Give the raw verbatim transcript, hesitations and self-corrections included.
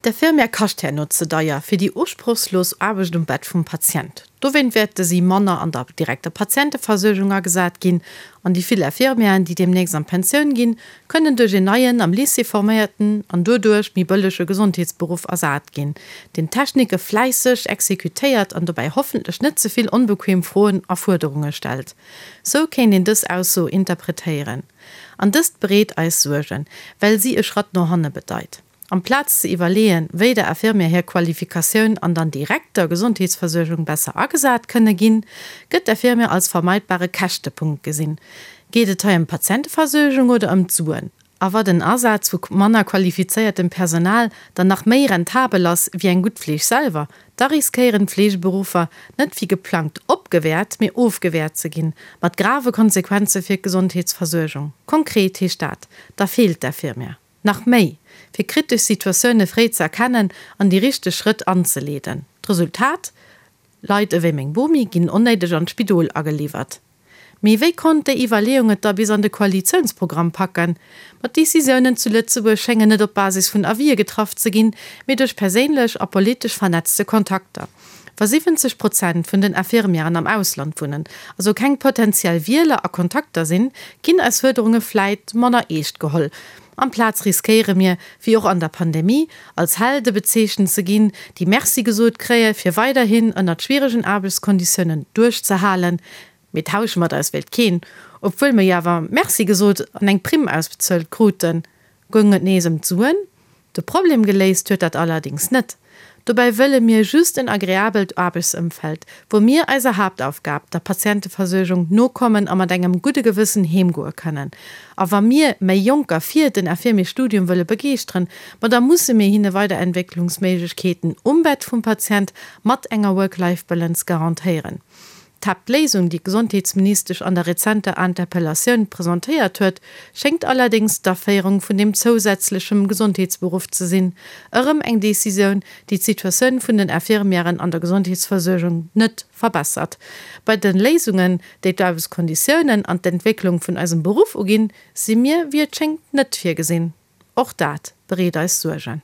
D'Infirmière kascht herno ze deier fir déi usprochslos Aarbecht um Bett vum Patient. Dowéint wäerte si manner an der direkter Patienteversuergung agesat ginn. An déi vill Infirmièren, déi deemnächst an d'Pensioun ginn, kënnen duerch een neien, am Lycée forméierten an doduerch méi bëllege Gesondheetsberuff ersat ginn, deen d'Technike fläisseg exekutéiert an dobäi hoffentlech net ze vill onbequem Froen a Fuerderunge stellt. Sou kéint een dës Ausso interpretéieren. An dëst bereet eis Suergen, well si e Schratt no hanne bedeit. Amplaz ze iwwerleeën, wéi der Infirmière hir Qualifikatioun an der direkter Gesondheetsversuergung besser agesat kënne ginn, gëtt d'Infirmière als vermeidbare Käschtepunkt gesinn. Geet et hei ëm d'Patienteversuergung oder ëm d'Suen? A wa den Asaz vu manner qualifizéiertem Personal dann nach méi rentabel ass wéi eng gutt Fleeg selwer, da riskéieren d'Fleegeberuffer net wéi geplangt opgewäert, mee ofgewäert ze ginn, mat grave Konsequenze fir d'Gesondheetsversuergung. Konkret heescht dat, da feelt d'Infirmière. Nach méi, fir kritesch Situatioune fréi ze erkennen an déi richteg Schrëtt anzeleeden. D'Resultat, Leit ewéi meng Bomi ginn onnéideg an d'Spidol ageliwwert. Mee wéi konnt déi Iwwerleeung et da bis an de Koalitiounsprogramm packen? Ma d'Decisiounen zu Lëtzebuerg schéngen net op Basis vun Avisë getraff ze ginn, mee duerch perséinlech a politesch vernetzte Kontakter. Wa siwwenzeg Prozent vun den Infirmièren am Ausland wunnen, also keng potentiell Wieler a Kontakter sinn, ginn eis Fuerderunge vläit manner eescht geholl. Amplaz riskéiere mir, wéi och an der Pandemie, als Helde bezeechent ze ginn, déi Merci gesot kréie fir weiderhin ënnert schwieregen Aarbechtskonditiounen duerchzehalen. Mee tausche mat eis wéilt keen, obwuel mir jo awer Merci gesot an eng Primm ausbezuelt kruten. Goung et nees ëm d'Suen? De Problem geléist huet dat allerdings net. Dobäi wëlle mir just en agreabelt Aarbechtsëmfeld, wou mir eiser Haaptaufgab, der Patienteversuergung, nokommen a mat engem gudde Gewëssen heemgoe kënnen. A wa mir méi Jonker fir den Infirmiersstudium wëlle begeeschteren, ma da musse mir hinne Weiderentwécklungsméiglechkeeten um Bett vum Patient mat enger Work-Life-Balance garantéieren. D'Haaptléisung, déi d'Gesondheetsministesch an der rezenter Interpellatioun presentéiert huet, schéngt allerdéngs d'Aféierung vun deem zousätzlechem Gesondheetsberuff ze sinn. Erëm eng Decisioun, déi d'Situatioun vun den Infirmièren an der Gesondheetsversuergung net verbessert. Bei de Léisungen, déi d'Aarbechtskonditiounen an d'Entwécklung vun eisem Beruff uginn, si mir, wéi et schéngt, net virgesinn. Och dat bereet eis Suergen.